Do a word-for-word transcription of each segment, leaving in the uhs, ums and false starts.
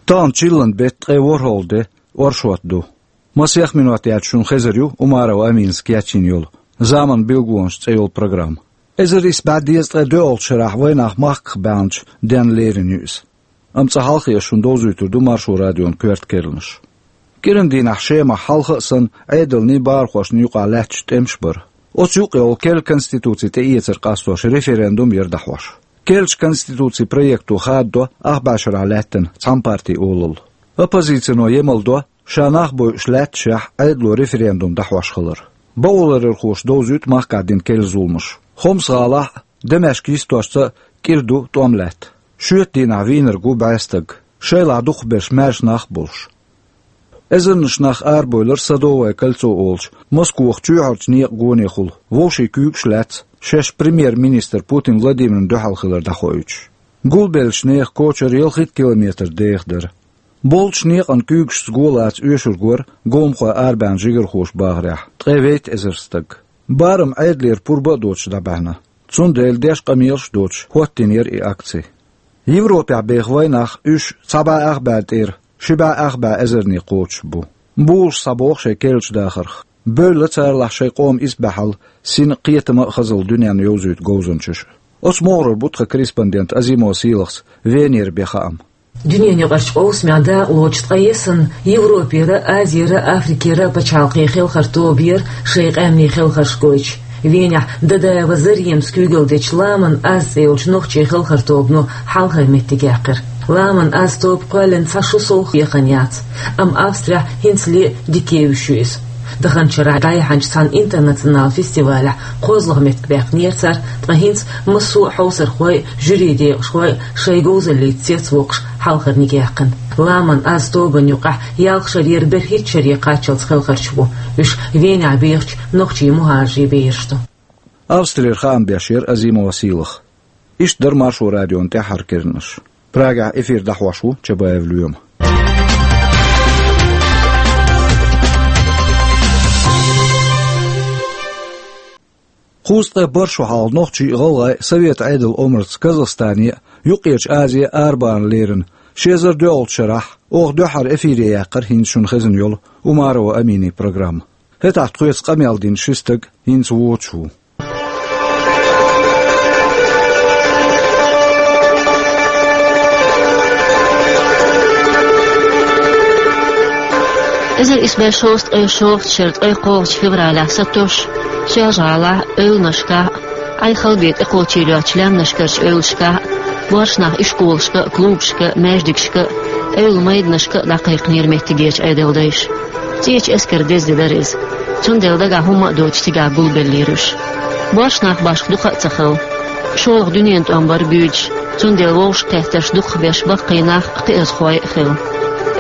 Тахана чиллан бетт ткъе ворхӀалгӀа де, оршот ду. Масех минот яц шуна хезар ю Умарова Аминас кечйина йолу «Заман билгалонаш» цӀе йолу программа. Эзар исс бӀе дезткъе доьалгӀачу шарахь вайнах махках баьхначу денна лерина ю иза. Амма цкъа хьалхе ас шуна довзуьйтур ду Маршо радион коьрта керланаш. КӀиран дийнахь Шемахь хьалха а санна, Ӏедалний бахархошний юкъахь лаьтташ тӀемаш бара. Оцу юкъа йолу керла конституци тӀеэцар къастош референдум яра дӀахьош. Керлачу конституцин проекто хададо ах бӀе шарахь лаьттина цхьана партин олалла. Оппозицино емал до, ша нах бойуш лаьтташехь, Ӏедало референдум дӀахьош хилар. Бакъоларъярхоша довзуьйту махкахь дина керла зуламаш. Хомс-гӀалахь а, Дамашка йистошца а кӀира ду тӀом лаьтта. Шоьтан дийнахь вийнарг ву бӀе стаг, шайлахь дукхахберш маьрша нах а болуш. Эзарнаш нах арабевлира Садовое кольцо олучу Москоху чоьхьарчу некъан гонехула, вовшийн куьйгаш а лаьцна, шаьш премьер-министр Путин Владимирна дуьхьал хилар дӀахоуьйтуш. Гулбеллачу нехан кочара ялхитта километр деха дара. Болчу некъан куьйгашца го лаца оьшург вара, говнахой арабаьхна жигархоша бахарехь, ткъе вейтта эзар стаг. Барам Ӏедалера пурба а доцуш дӀабаьхьна. Цундела деш къамелаш а доцуш, хӀоттийна яра и акци. Европехь беха вайнах, уьш цхьа бӀе ах бӀе тӀера ши бӀе ах бӀе эзарне кхочуш бу. Булуш схьабоху шайн керлачу дахарх. Бевлла царалахь шайн къоман исбаьхьалла, сина, кхетам а, хазалла дуьненна йовзуьйту говзанчаш а. Оцу могӀарера бу тхан корреспондент Азимова Сийлахьца Венера бен хаам. Дуьненан юкъарчу къовсамехь дакъалоцуш ткъе ялсаманин Европера, Азера, Африкера пачхьалкхийн хелхар тоба яра шайн къаьмнийн хелхарш гойтуш. Венехь Дадаева Заремас куьйгалдечу «Ламан аз» цӀе йолчу нохчийн хелхар тобано хьалхара меттиг яьккхира. «Ламан аз» тоба кхоьллина цхьа шо сов хьехна яц, амма Австрехь хӀинцале а дика евзаш ю иза. Даханчу шарахь дӀаяьхьначу цхьана интернационал фестивалехь кхозлагӀа меттиг баьккхинера цара, ткъа хӀинца массо а хьовсархой а, жюрин декъашхой а шайн говзаллица цецвоккхуш, хьалхарниг яьккхина. «Ламан аз» тобанна юкъахь ялх шарера берхӀитта шаре кхаччалц хелхарчаш бу. Уьш Венехь бехачу нохчийн мухӀажарийн бераш ду. Австрера хаам беш яра Азимова Сийлахь. Иштта дара Маршо радион тӀаьххьара керланаш. Прагехь эфир дӀахьош ву Чабаев Лоьма. Кхузткъе бархӀ шо хьалха нохчий а, гӀалгӀай а Совет Ӏедалан омрица Казахстане а, Юккъерчу Азе а арабахарна лерина, ши эзар доьалгӀачу шарахь, оха дуьххьара эфире яьккхира хӀинца шуна хезна йолу Умарова Аминин программа. ХӀетахь тхоьца къамел дина ши стаг хӀинца воцуш ву. Эзар исс бӀе шовзткъе шовзткъа шеран ткъе кхоалгӀачу февралехь сатосуш, Соьлжа-ГӀалахь а, эвланашкахь а, Ӏай-хала бен тӀекхочийла йоцучу лаьмнашкарчу эвлашкахь а, боьршинах ишколашка а, клубашка а, маьждигашка а, эвла майданашка а дӀакхайкхинера меттигерчу Ӏедалдайша. ЦӀечу эскаран деза де дара иза. Цундела дагахь хӀумма а доцуш цигахь гулбеллера уьш. Боьршинах башха дукха а ца хилла. ШолгӀа дуьненан тӀом бара буьйлуш, цундела вовшахкхеттарш дукхахберш баккхий нах а, кхиазхой а хилла.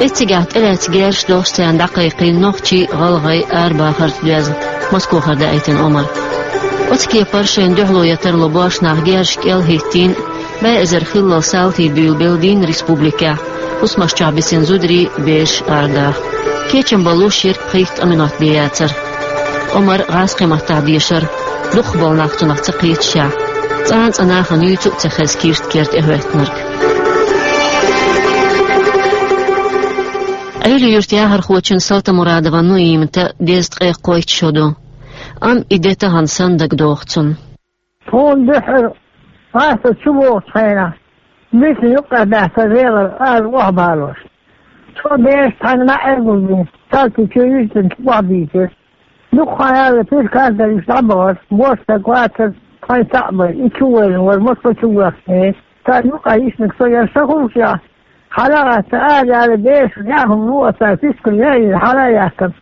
Эццигахь тӀелаьцна герзаш долуш царна дӀакхайкхийна нохчий а, гӀалгӀай а арабахарца доьзна, Москохара даийтина омра. Оцу кепара шайна дуьхьало ян тарло боьршинах герзаш кӀел а хӀиттийна, бӀе эзар хиллал салтий буьйлабелла дийна республикехь, хӀусамаш чохь бисина зударий а, бераш а арадаха. Кечам балуш йира пхийтта-ткъа минот бен яцара. Омра гӀазкхийн маттахь дешара, дукхахболу нах цунах ца кхеташехь, цкъа а цкъа нахана юьйцу а ца хезна кирстан кера тӀехӀоьттинарг. Ӏуьйре-Юьртан яхархочун Салтамурадова Нуиматан дезткъе кхойтта шо ду. Амма и де тахана санна дагадогӀу цунна. Тхуна дуьххьара гӀазкхаша чу богӀучу хенахь, бисина юккъехь баьхкира Делан ара охьабалош. Цо бераш цхьаьна маьӀӀе гулбина, салтий чу юьззина охьабийцира. Дукха хан яьлла, пирказ дар уьш дӀабахара, бос стаг вацара, тхайн цхьаъ бара, и чу вайна вара, Москва чу воьхкина. Царна юкъахь йиснарг со яра, сан хӀумаш яхь. Хьала а гӀатта, ара яьлла, бераш яа хӀума луо цара, фискал яийна, хьала а яьккхина.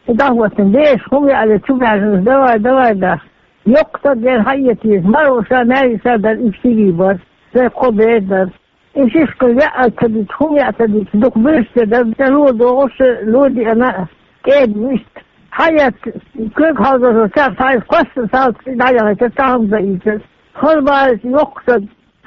И дӀахӀоттина, бераш хӀума яале, чу баьржина, давай, давай, даха. Йоккха стаг яра, хьаэца еза, маро ша маьрша дар, уьш стигий бара, сайн кхо бер дара. И шишкал яа ца дича, хӀума яа ца дича, дукха буьрса ца дара, тӀе ло догӀуш, ло диана, кӀеда вист. Хьаэца, куьг хьалзазо царх хьайса кхоссар салц дӀаяхийтар, цхьа хӀума ца ийцар. Халбарис йоккха стаг,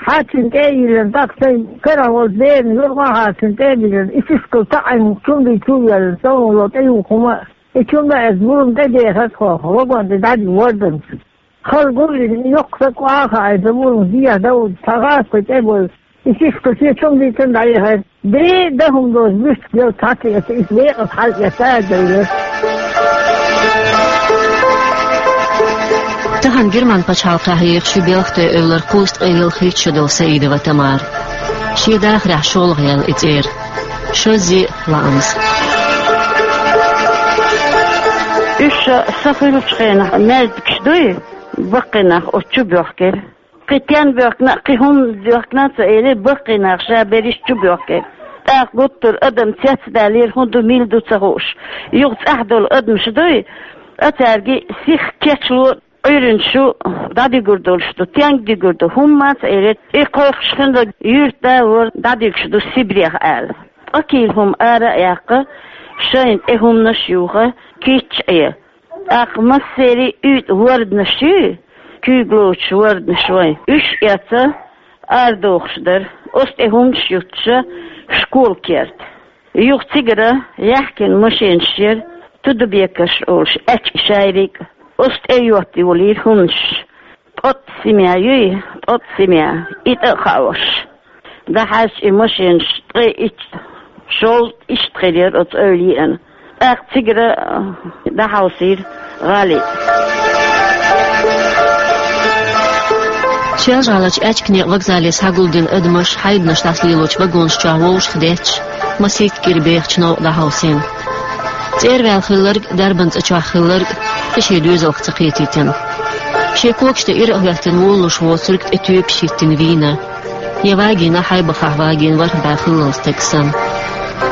хьаьччина тӀе а йиллина, тӀаккха сайн карахь волчу берана юргӀа а хьарчина тӀе а биллина, и шишкал таӀийна чумдий чу а йоьллина, цӀа вон ло тӀеюху хӀума а, и чумда а эцна бурам тӀедехара тхо, вагон тӀе дӀадина ворданца. Хала гулйина, и йоккха стаг охьа а хаийта, бурам дехьа Дауд, цхьа гӀазкхи тӀе а бевлла, И сиха кхы шен чум дийцан дӀаехьар. Бе дан хӀума доцу буьртиг йолу цхьацца эца, иза декъаза хьалаэца а девлира. Тахана Герман пачхьалкхехь ехаш ю Белхатойн эвлара кхузткъе ялхитта шо долу Саидова Тамара. Шен дахарехь шолгӀа яьлла и цӀера. Шозза лаамза. Уьш сан хуьлучу хенахь маьждигаш дуй, баккхий нах оцу чу боьхкира. Кхин тен боьхкина, кхин хӀума боьхкина ца элира, баккхий нах ша берриш чу боьхкира. ТӀаккха гуттар а адам цецдаьллера, хӀун ду, мила ду ца хууш. Юха цӀахь долу адамаш дуй, а цаьрга сиха кечло, Ӏуьйранна шу дӀадуьгур долуш ду, тенга дуьгур ду, хӀумма а ца элира, и кхойкхуш хинарг юьртда а вара дӀадуьгуш ду Сибрех аьлла. Ткъа кийла хӀума ара а яьккха, шайна тӀе хӀуманаш а юха, кийча Ӏе. ТӀаккха массерий а уьйтӀа ворданаш ю, куьйга лоцуш ворданаш вайн. Уьш эца, арадохуш дара, оцу тӀе хӀуманаш юттуша школа керта. Юха цигара яхкина машенаш яра, тудабекарш олуш, аьчка шайриг а, оцу тӀе йотта йолийра хӀуманаш. Ткъотта семья юй, ткъотта семья, и тӀе а хаош. ДӀахьаьжча и машенаш ткъе итт, шовзткъа иштта хир яра оцу эвла еана. ТӀаккха цигара, а, дӀахьовсийра гӀали. Шелжа-ГӀаларчу аьчка некъан вокзале схьагулдина адамаш хьайбанаш дӀасалелочу вагонаш чохь вовшах детташ, масийтта кӀира бехачу новкъа дӀахьовсийна. ЦӀера ваьлла хилларг, дарбан цӀа чохь хилларг кхин шен доьзалх ца кхетийтина. Шен когаш тӀе ира а хӀоьттина волалуш воцург тӀе тоьпаш хӀиттина вийна. Я вагийна хьайбахахь вагийна ворхӀ бӀе хиллал стаг санна.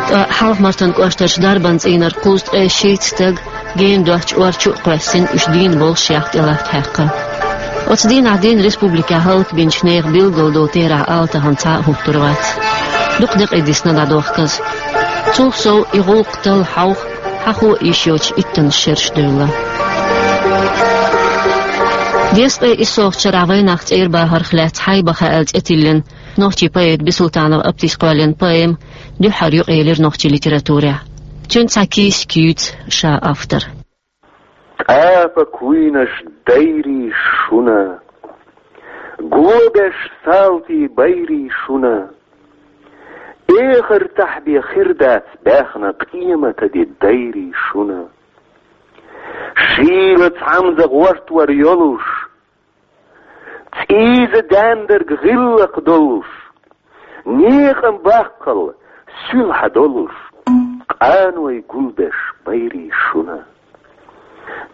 Ткъа Хьалха-Мартан кӀоштарчу дарбан цӀийнарг кхузткъе шийтта стаг гена доцчу ор чу а кхоьссина, уьш дийна болуш ях тӀелатта хьаькхна. Оцу дийнахь дийна республикехь хӀаллакбинчу нехан билггал долу терахь ала тахана цхьа а хӀуттур вац. Дукха декъий дисна дӀадохказа. Цул сов и гӀуллакх талла хьовха, хьахо а йиш йоцуш иттанаш шераш девлла. Дезткъе иссалгӀачу шарахь вайнах цӀера бахарх лаьцна «Хьайбаха» аьлла цӀе тиллина, нохчийн поэта Бисултанов Аптис кхоьллина поэма дуьххьара юкъаелира нохчийн литературехь. Цуьнан цхьа кийсак юьйцу ша автор. ТӀапа куйнаш дайрий шуна, го беш салтий байрий шуна, эхартахь бен хир дац баьхна къематан де дайрий шуна. Шийла цхьамза гӀортор йолуш, цӀийза даьндарг гӀиллакх долуш, некъан баккхал суьлхьа долуш, къаной гулбеш байрий шуна.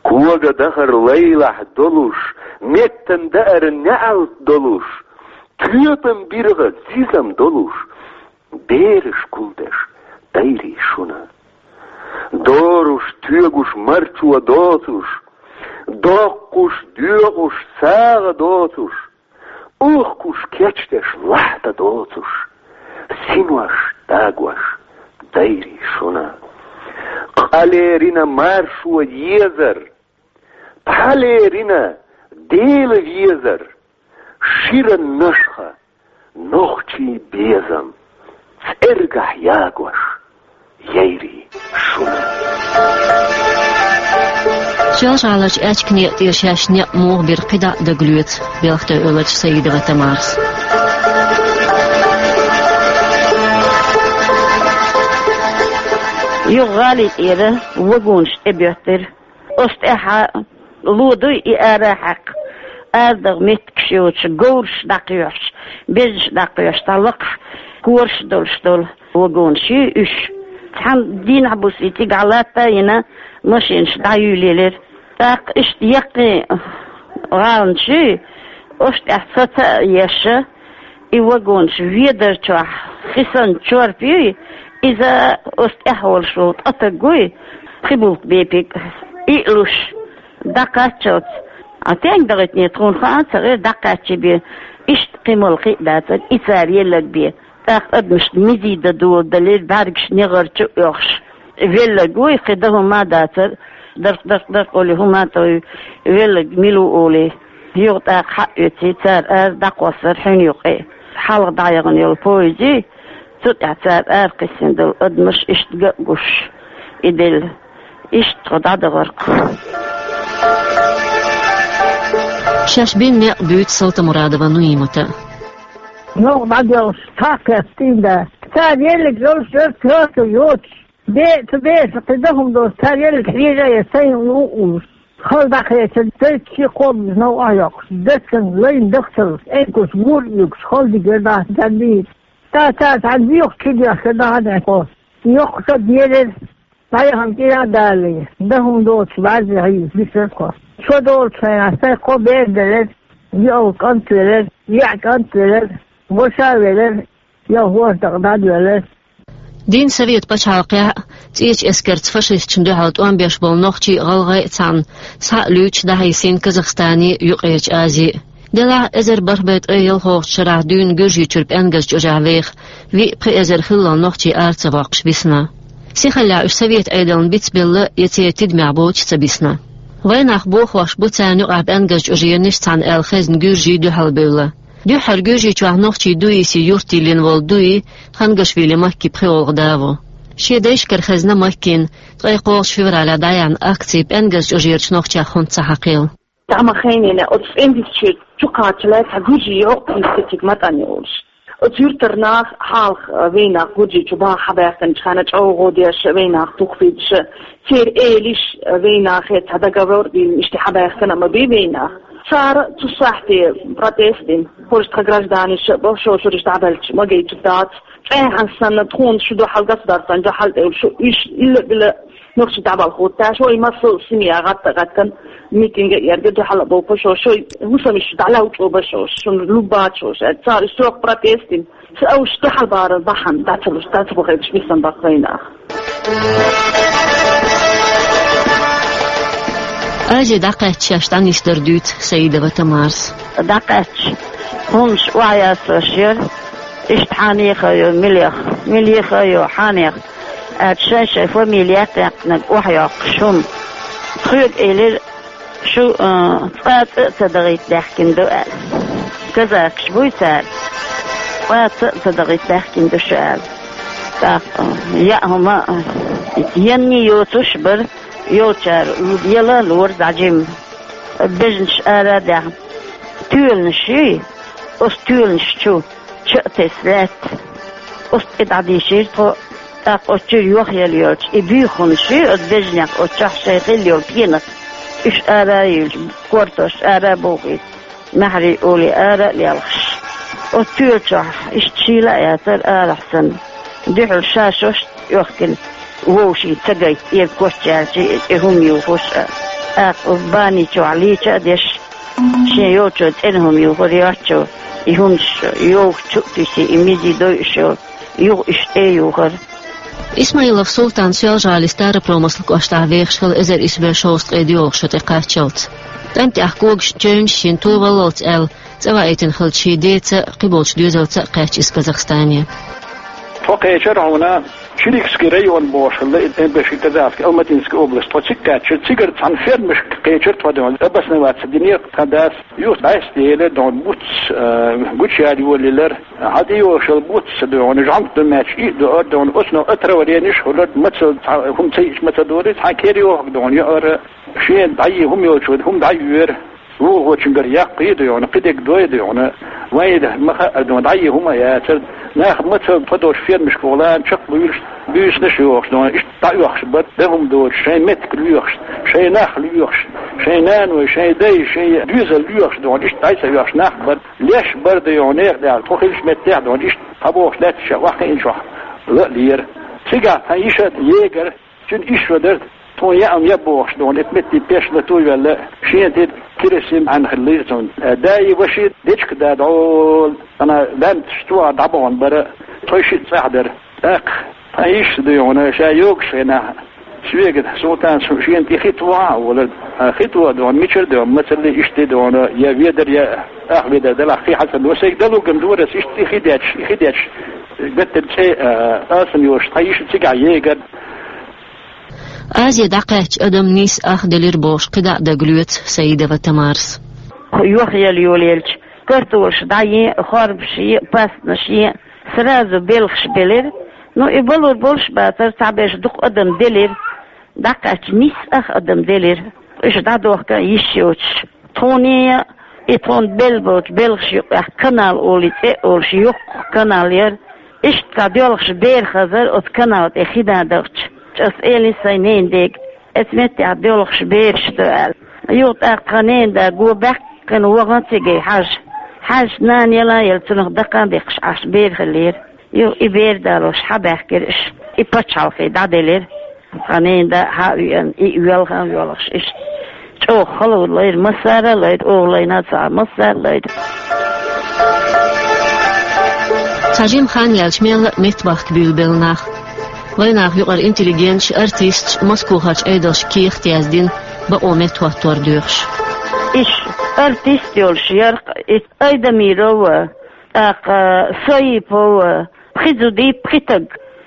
Кога дахар лайлахь долуш, меттан даар неӀалт долуш, тоьпан биргӀа зизам долуш, бераш гулбеш дайрий шуна. Доруш, тоьгуш марчо доцуш, доккхуш, доькъуш сагӀа доцуш, ухкуш, кечдеш лахьта доцуш, синош дагош дайрий шуна. Къа лерина маршо езар, пхьа лерина Дела везар, ширан нашха нохчийн безам цӀергахь ягош яйрий шуна. Шелжа-ГӀаларчу аьчка некъа тӀера шаьш некъ муха бира кхидӀа а дагалоьцу Белхатойн эвларчу Саидова Тамарас. Юха гӀали тӀера вагонаш тӀебоьттира. Оцу тӀаьхьа ло дуй и ара хьаькхна, арадагӀа меттигаш йоцуш, говраш дӀакхоьхьуш, безаш дӀакхоьхьуш, цхьа лакхахь кораш долуш долу вагонаш ю уьш. Цхьана дийнахь-буса и цигахь латта а йина, машинаш дӀаюьйлаелира. ТӀаккха иштта яккхий гӀаланаш ю, оцу тӀехь саца а еш, и вагонаш ведар чохь хи санна чорпа юй, иза оцу тӀехь волуш волу ткъа стаг вуй, пхи булт бепиг, иълуш, дӀакхаччалц. А стенга дахийтине тхуна хаа а ца гӀира, дӀакхаччий бен, иштта кхин мала кхин а дацара, и цара еллаг бен. ТӀаккха адамашна мизий дан доладалира, бӀаьргаш негӀар чу а оьхуш. Веллаг вуй, кхин дан хӀума а дацара, дарх-дарх-дарх олий хӀума а тохий, веллаг мила ву олий. Юха тӀаккха хьаоьций, цара ара дӀакхоссара хьуьна юкъе. Хьалха дӀаяхана йолу поезд ю, цу тӀехь цара ара кхиссина долу адамаш иштта ган а гуш, и делла. Иштта тхо дӀадахара-кх. Шаьш бина некъ буьйцу Салтамурадова Нуимата. Новкъа дӀадоьлхуш, цхьа а кхетта да. Цара еллиг йолуш дара, коьрта йоцуш. Бе-, цу беса кхин дан хӀума доцуш, цара еллиг хьежа а, я сайн улуш. Хала дӀакхечира, цайца ши кхобуш новкъа йоккхуш. Дацан лайн дахцалуш, эйкуш гур а юьгуш, хала дигара даха дан дийца. Ца цара цхьана боьхачу чу доьхкира даха дехьо. Йоккха ца дерира, дӀаяхана кӀира а далале, дан хӀума доцуш баьрзе хьийза бисархо. Шо долчу хенахь сайн кхо бер делира, йоӀ кӀант велира, йоӀ кӀант велира, ваша а велира, я хӀордакъ дӀадоьллира. Дийнна Совет пачхьалкхехь а, цӀечу эскарца фашисташна дуьхьал тӀом беш болу нохчий а, гӀалгӀай а цхьаьна схьа а луьйчу дӀахьийсина Казахстане а, Юккъерчу Азе а. Делахь а, эзар бархӀ бӀе ткъе ялхалгӀачу шарахь дуьйна Гуьржийчуьра ПӀенгаьзчу ожехь веха виъ-пхи эзар хиллал нохчий ара ца воккхуш висна. Сихаллехь уьш Совет Ӏедална бицбелла я церан тидамехь боцуш ца бисна. Вайнах бохош бу царна юкъахь ПӀенгаьзчу оженаш цхьаьна аьлла хезна гуьржий дуьхьал бевлла. Дуьххьара Гуьржийчохь нохчий Дуиси юрт йиллина волу Дуи Хангашвили Макки пхи гӀуллакх да ву. Шен дайшкара хезна Маккина ткъе кхоалгӀачу февралехь дӀаяьхьна акци ПӀенгаьзчу ожерачу нохчех хӀунда ца хьакхийла. Тахана хенахь оцу ПӀенгаьзчу чу кхаччалц цхьа гуьржий йоккха институт матӀан йолуш. Оцу юьртара нах хьалха, а, вайнах Гуьржийчу баха хьабаьхкинчу хенахь чӀогӀа деш, вайнах тухфийташ, церан элиш, а, вайнахе цхьа договор дина, иштта хьабаьхкина а ма бий вайнах. Цара цу сахьте протест дина, хӀорш тхан гражданаш а, боху, шуьйраш дӀабаьлча ма гайту дац. ЦӀехьана санна тхуна шу дуьхьал государстван дуьхьал тӀе шу, уьш илла-билла нохчий дӀабала хӀутташ, вай массо а семья гӀатта а гӀаьттина, митинг а эрга дуьхьал а бовпа шо, шо хӀусамаш дӀалаучӀо ба шо, шуна луббац шо, аьлла, цара уьш чӀогӀа протест дина. Ца уьш дуьхьал бара бахьана, дӀа ца луш, дӀа ца бохуьйтуш бисна бакъ вайнах. Азе дӀакхаьчча шаьш дӀанисдар дуьйцу Саидова Тамарас. ДӀакхаьчча, хӀуманаш охьаясош яра, иштта хьанеха йо, милеха, милеха йо, хьанеха. Аьлча шайн-шайн фамилия яьккхинарг охьайоккхуш хӀума. Тхоьга элира, шу, а, цкъа а цӀа а ца дахийта даьхкина ду аьлла. Казакаш буй цара, цкъа а цӀа а ца дахийта даьхкина ду шу аьлла. ТӀаккха, а, яа хӀума, а, енний йоцуш а бара, йолчара яла а лора дӀа жимма. Бежанаш ара а даьхна, тоьланаш юй, оцу тоьланаш чу ча а тесна лаьтта. Оцу тӀе дӀадийшира тхо, тӀаккха оцу чуьра йохъелла йолчу и буьйханаш ю, оцу бежанех оцу чохь шайн хилла йолу пенах, уьш ара а юьллуш, кортош ара а бухийта, маьхьарий олий ара а лелхаш. Оцу тоьла чохь иштта шийла а яцара арахь санна. Дуьхьал ша шошта оьхкина вовшийн ца гайта, эра коччаьлча и тӀе хӀума юхуш а, тӀаккха бани чохь лийча а деш, шен йолчо цӀена хӀума юхура йоцчо, и хӀуманаш йовха чу а туьсий, и мизи дойуш йолу, юха уьш тӀе а юхура. Исмаилов Султан Соьлжа-ГӀалин Старопромыслан кӀоштахь вехаш хилла эзар исс бӀе шовзткъе доьалгӀа шо тӀекхаччалц. КӀентехь когашна чевнаш йина, товаллалц аьлла, цӀа ваийтина хиллачу шен деца а, кхиболчу доьзалца а кхаьчча иза Казахстане. Тхо кхечира хьуна Чиликский район бохуш хилла, и тӀе беши Казахский, Алматинский область. Тхо цига кхаьччира, цигара цхьана фермашка кхечира тхо, дуьйна, обосноваться динера тхан дас. Юха дӀасаделира, дуьйна, буц, а, гучаяьлла йолаелира. Хьан тӀе йолуш йолу буц, дуьйна, жӀоьнга ду моьттуш, и а дуьйра, дуьйна, оцунах отравлениеш а хуьлура, мацалла цхьа хӀума ца йича ма ца дора, цхьа кера йохург, дуьйна, яара, шена дӀайи хӀума йолчо хӀума дӀайоьра. ВугӀучуьнгара яккхий, дуьйна, кхидерг дой, дуьйна, вайн ма хаьара, дуьйна, дӀайи хӀума а яцара. Нах мацалла тхо долчу фермашка гӀолан чекхбуьйлуш, буьйсанаш а йохуш, дуьйна, иштта дӀаоьхуш бара, дан хӀума доцуш, шайн меттиг лоьхуш, шайн нах лоьхуш, шайн наной, шайн дай, шайн доьзал лоьхуш, дуьйна, иштта дӀай ца оьхуш нах бара. Леш бара, дуьйна, нехан тӀехь, тхо хиллачу меттехь, дуьйна, иштта цхьабохуш лаьтташ охьахиъначохь ла а лера. Цигахь тхан йиша егар, цуьнан ишшо дара, тхуна яа-м яа бохуш, дуьйна, эта метте пеш латуьйвелла, шена тӀе керосин Ӏаьнна хиллера цунна. Даи ваши дечка да дӀо, ана лаьмташ чохь дӀабахана бара, тхойшиъ цӀахь дара. ТӀаккха тхан йиша, дуьйна, ша йогуш хенахь, соьга, Султан, шена тӀе хи тоха а олура. Хи тоха, дуьйна, мичара, дуьйна, мацалла иштта, дуьйна, я ведар, я ах ведар далахь хи хьан ца до. Сайга далуган дора ас, иштта и хи детташ, и хи детташ, гаттара цӀе а, алсам йолуш, тхан йиша цигахь егар. Азе дӀакхаьчча адам нийса ах делира бохуш кхидӀа а дагалоьцу Саидова Тамарас. Йохъелла йолаелча, картолаш дӀаен а, хорбаш ен а, пастанаш ен а, сразу белхаш белира. Ну, и балур болуш а бацара, цхьаберш дукха адам делира. ДӀакхаьчча, нийса ах адам делира. Уьш дӀадохка йиш йоцуш. Тхуна а, И тхуна белла боцу белхаш юкъехь канал олий цӀе а олуш, йоккха канал яра. Иштта цхьа доьлхуш бер хазар оцу канал тӀе хи дан дахча. Ас элира сайн ненан дега, оцу меттехь доьлхуш бераш ду аьлла. Юха тӀаккха тхан ненан да го баьккхина вахана цига хьажа. Хьаьжча, нана яла а елла, цунах дакха а декхаш Ӏаш бер хиллера. Юха и бер далош хьабаьхкира иш, и пачхьалкхе дӀаделира. Тхан ненан да хьа а веана, и а воьлхуш, иштта чӀогӀа хала лайра, массара а лайра, оха лайна а ца Ӏа, массара а лайра. Цхьа жима хан яьлча мелла а меттабахка буьйлабелла нах. Вайнах юкъара интеллигенташ, артисташ, Москохарчу Ӏедалша кехат яздина, бакъо меттахӀоттор доьхуш. Иш артист йолуш яра-кх и Айдамирова, тӀаккха Соипова, пхи зуда, пхи стаг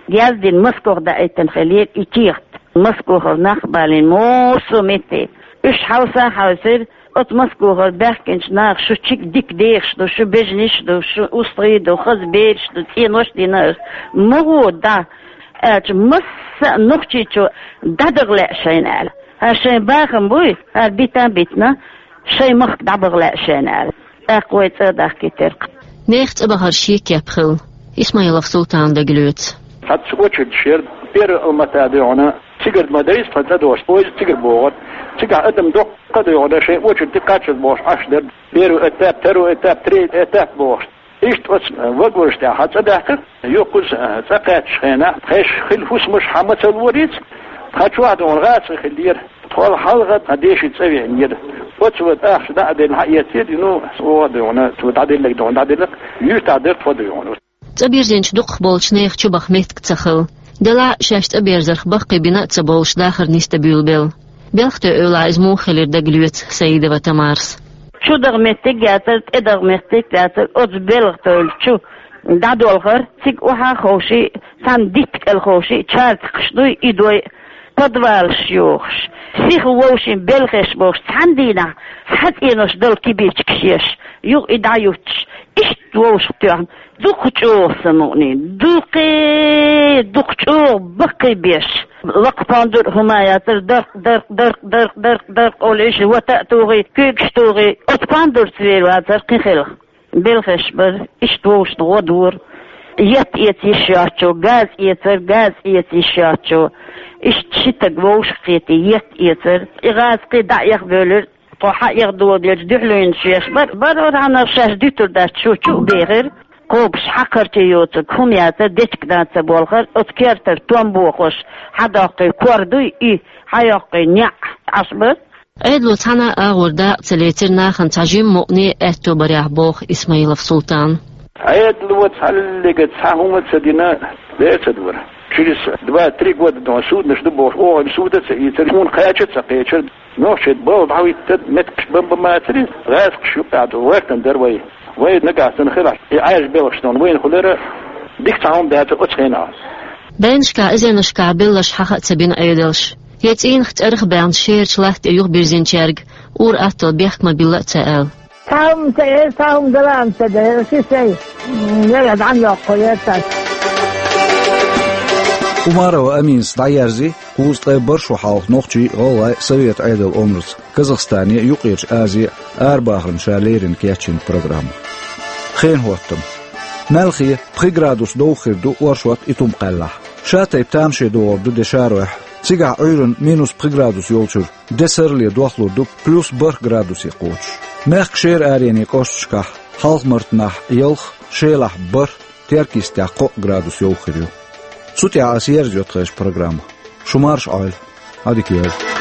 яздина, Москох даийтина хиллера и кехат. Москохара нах а балийна массо а метте. Уьш хьовса а хьовсийра, оцу Москохара баьхкинчу наха: «Шу чиг дика дехаш ду, шу бежанаш ду, шу устагӀий ду, хаза бераш ду, цӀенош а дина ас. Ма гӀо дӀа», аьлча, масса а нохчийчо дӀадагӀа лаьа шайна аьлла. ХӀара шайн бахам буй, хӀара битан а битина, шайн махка дӀабаха лаьа шайна аьлла. ТӀаккха вай цӀа а дахкийтира-кх. Нехан цӀа бахар шен кеп хилла. Исмаилов Султана дагалоьцу. Цхьацца очередаш яра, первый Алмата дуй хьуна, цигара ма дайза тхан цӀа дохуш, поезд цигара богӀура. Цигахь адам доккха а дуй хьуна, шайн очередь тӀе кхаччалц бохуш Ӏаш дара. Первый этап, второй этап, третий этап бохуш. Иштта оцу вагонаш тӀехь хьан цӀа даьккхира, юха кхуза цӀа кхаьччу хенахь, тхайш хилла хӀусамаш хьан ма ца лорица, тхан чохь дуй хьуна гӀазкхи хиллера. Тхол хьалха тхан деши цӀа веанера. Оцу ван тӀахча дӀа а делла, хьан эццера, ну, оха дуй хьуна, цо дӀаделларг дуй хьуна дӀаделла, юьртахь дара тхо дуй хьуна. ЦӀа бирзинчу дукхахболчу нехан чубаха меттиг ца хилла. Делахь а шаьш цӀа берзарх баккхий бина а ца бовлуш, дахар нисдан буьйлабелла. Белхатойн эвлахь иза муха хилира дагалоьцу Саидова Тамарас. Чу даха меттиг яцара, тӀе даха меттиг яцара, оцу белхатойла чу дӀадолхара, цига охьа а ховший, цхьана дитта кӀел ховший, чарцкхаш дуй, и дой, подвалаш йохуш, сиха вовшийн белхеш бохуш, цхьана дийнахь цхьа цӀенош дала кибичкаш еш, юха и дӀаюттуш, иштта вовшах тоьхна, дукха чӀогӀа сан мукъане, дукхе, дукха чӀогӀа баккхий беш. Лакха пандур а хӀума яцара, даркъ, даркъ, даркъ, даркъ, даркъ, даркъ олуш, вата а тухий, куьйгаш тухий, оцу пандурца вер вацара кхин хилха. Белхеш бара, иштта вовшашна гӀо дора. Етт эца йиш йоцчо газ эцара, газ эца йиш йоцчо иштта ши стаг вовшах кхетий, етт эцара. И гӀазкхий дӀа а эхбевлира, тхо хьан эхь доладелча дуьхьалуьйнаш еш бара. Барор хьанах шаьш дуьтур дац, шу чу а бехира. Кхобуш хьакхарчий йоцург хӀума яцара, дечиг дан ца болхара, оцу кертара том бохуш, хьан доккхий кор дуй и, хьан йоккхий неӀ Ӏаш бара. Ӏедало цхьана а агӀор дакъа ца лецира нахана цхьа жимма мукъане а аьтто барехь, боху Исмаилов Султана. Ӏедало цхьаллига цхьа хӀума ца дина, лецадора. Через два-три года дон суднаш ду бохуш, оха суда ца ийцира, хьуна кхача а ца кхечира. Нохчий балха дӀахӀиттад, меттигаш бан-бан мацари, гӀазкхаш юкъахь ду, гӀоьртан дара вай. Вай нагахь санна хилахь, и Ӏаьржа белхаш дан вайна хуьлура, дика цхьа хӀума дацара оцу хенахь. Дайнашкахь, эзарнашкахь белларш хьаха а ца бина Ӏедалша. Я цӀийнах цӀерах а баьхна шерачу латта тӀе юхабирзинчаьрга ур-атталла бехк ма билла а ца аьлла. Цхьа хӀума ца эр, цхьа хӀума дала а ца дара, ши сай, м, яра дӀа ма йоккху, яра цхьа. Умарова Аминас дӀаерзи, кхузткъе барх шо хьалха нохчий а, гӀалгӀай а Советан Ӏедалан омрица Казахстане а, Юккъерчу Азе а арабахарна ша леррина кечйина программа. Хенан хӀоттам. Маьлхе пхи градус дов хир ду оршот Итум-Кхаьллахь. Шатайпа тамаше догӀур ду де шаройхь. Цигахь Ӏуьйранна минус пхи градус йолчуьра де сарале дохлур ду плюс барх градусе кхочуш. Мехкан шера арене кӀошташкахь Хьалха-Мартанахь ялх, Шелахь барх, Теркйистехь кхоъ градус йов хир ю. Цу тӀехь аса ерзайо тхайн программа. Шу марша Ӏойла. Ӏадика йойла.